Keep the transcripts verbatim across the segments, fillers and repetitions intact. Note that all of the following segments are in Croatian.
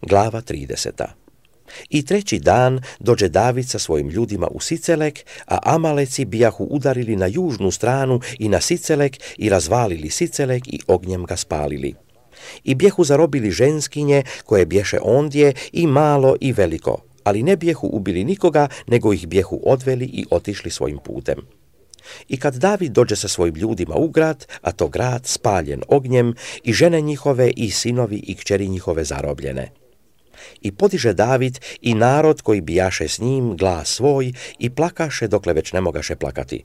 Glava trideseta. I treći dan dođe David sa svojim ljudima u Sicelek, a Amaleci bijahu udarili na južnu stranu i na Sicelek i razvalili Sicelek i ognjem ga spalili. I bjehu zarobili ženskinje koje bješe ondje i malo i veliko, ali ne bjehu ubili nikoga, nego ih bjehu odveli i otišli svojim putem. I kad David dođe sa svojim ljudima u grad, a to grad spaljen ognjem, i žene njihove i sinovi i kćeri njihove zarobljene. I podiže David i narod koji bijaše s njim glas svoj i plakaše dokle već ne mogaše plakati.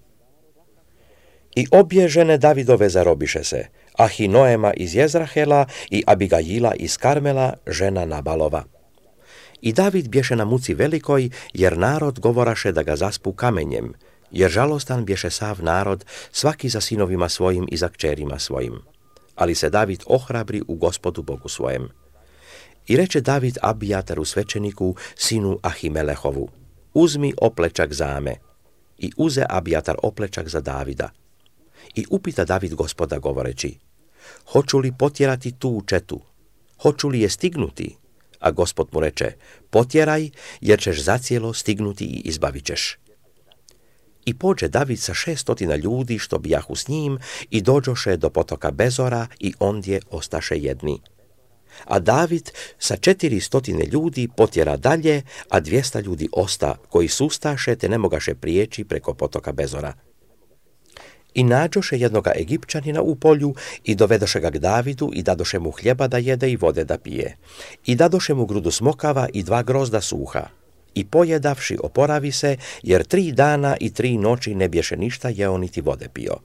I obje žene Davidove zarobiše se, Ahinoema iz Jezrahela i Abigajila iz Karmela, žena Nabalova. I David bješe na muci velikoj, jer narod govoraše da ga zaspu kamenjem, jer žalostan bješe sav narod, svaki za sinovima svojim i za kćerima svojim. Ali se David ohrabri u Gospodu Bogu svojem. I reče David Abijataru svećeniku, sinu Ahimelehovu, uzmi oplečak zame. I uze Abijatar oplečak za Davida. I upita David Gospoda govoreći, hoću li potjerati tu četu? Hoću li je stignuti? A Gospod mu reče, potjeraj, jer ćeš zacijelo stignuti i izbavit ćeš. I pođe David sa šestotina ljudi što bijahu s njim i dođoše do potoka Bezora i ondje ostaše jedni. A David sa četiri stotine ljudi potjera dalje, a dvjesta ljudi osta, koji sustaše te ne mogaše prijeći preko potoka Bezora. I nađoše jednoga Egipćanina u polju i dovedoše ga k Davidu i dadoše mu hljeba da jede i vode da pije. I dadoše mu grudu smokava i dva grozda suha. I pojedavši oporavi se, jer tri dana i tri noći ne bješe ništa jeo niti vode pio.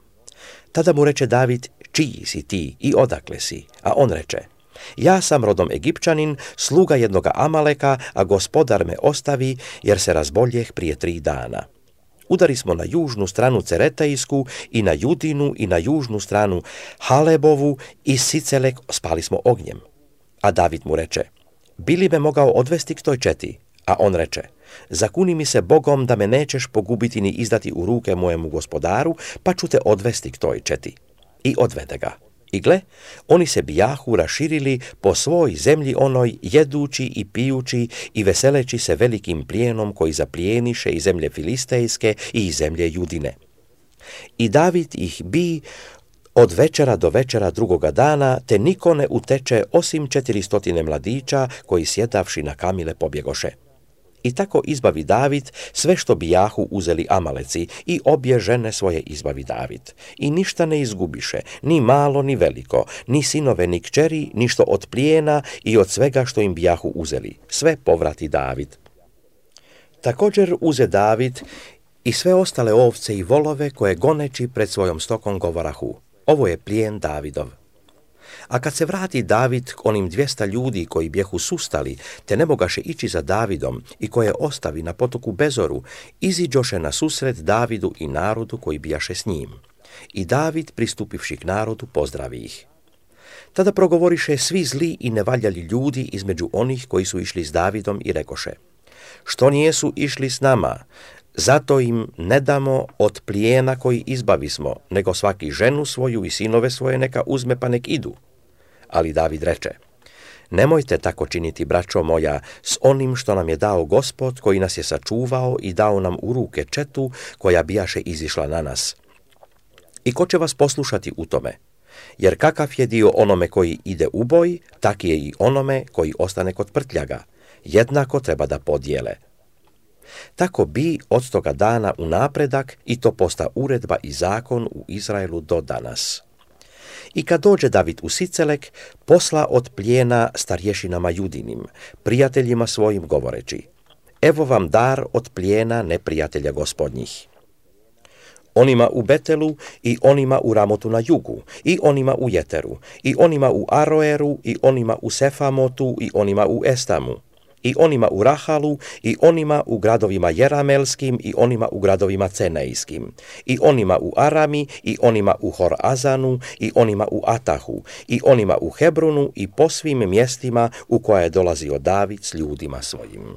Tada mu reče David, čiji si ti i odakle si? A on reče, ja sam rodom Egipćanin, sluga jednoga Amaleka, a gospodar me ostavi, jer se razboljeh prije tri dana. Udari smo na južnu stranu Ceretejsku i na Judinu i na južnu stranu Halebovu i Sicelek spali smo ognjem. A David mu reče, bi li me mogao odvesti k toj četi? A on reče, zakuni mi se Bogom da me nećeš pogubiti ni izdati u ruke mojemu gospodaru, pa ću te odvesti k toj četi. I odvede ga. I gle, oni se bijahu raširili po svoj zemlji onoj, jedući i pijući i veseleći se velikim plijenom koji zaplijeniše iz zemlje Filistejske i iz zemlje Judine. I David ih bi od večera do večera drugoga dana, te niko ne uteče osim četiristotine mladića koji sjedavši na kamile pobjegoše. I tako izbavi David sve što bijahu uzeli Amaleci i obje žene svoje izbavi David. I ništa ne izgubiše, ni malo ni veliko, ni sinove ni kćeri, ništo od plijena i od svega što im bijahu uzeli. Sve povrati David. Također uze David i sve ostale ovce i volove koje goneći pred svojom stokom govorahu. Ovo je plijen Davidov. A kad se vrati David k onim dvjesta ljudi koji bjehu sustali, te ne mogaše ići za Davidom i koje ostavi na potoku Bezoru, iziđoše na susret Davidu i narodu koji bijaše s njim. I David, pristupivši k narodu, pozdravi ih. Tada progovoriše svi zli i nevaljali ljudi između onih koji su išli s Davidom i rekoše, što nijesu išli s nama, zato im ne damo od plijena koji izbavismo, nego svaki ženu svoju i sinove svoje neka uzme pa nek idu. Ali David reče, nemojte tako činiti, braćo moja, s onim što nam je dao Gospod, koji nas je sačuvao i dao nam u ruke četu koja bijaše izišla na nas. I ko će vas poslušati u tome? Jer kakav je dio onome koji ide u boj, tak je i onome koji ostane kod prtljaga. Jednako treba da podijele. Tako bi od toga dana u napredak i to posta uredba i zakon u Izraelu do danas. I kad dođe David u Sicelek, posla od plijena starješinama Judinim, prijateljima svojim govoreći, evo vam dar od plijena neprijatelja gospodnjih. Onima u Betelu i onima u Ramotu na jugu, i onima u Jeteru, i onima u Aroeru, i onima u Sefamotu, i onima u Estamu, i onima u Rahalu, i onima u gradovima Jeramelskim, i onima u gradovima Cenejskim, i onima u Arami, i onima u Horazanu, i onima u Atahu, i onima u Hebronu, i po svim mjestima u koja je dolazio David s ljudima svojim.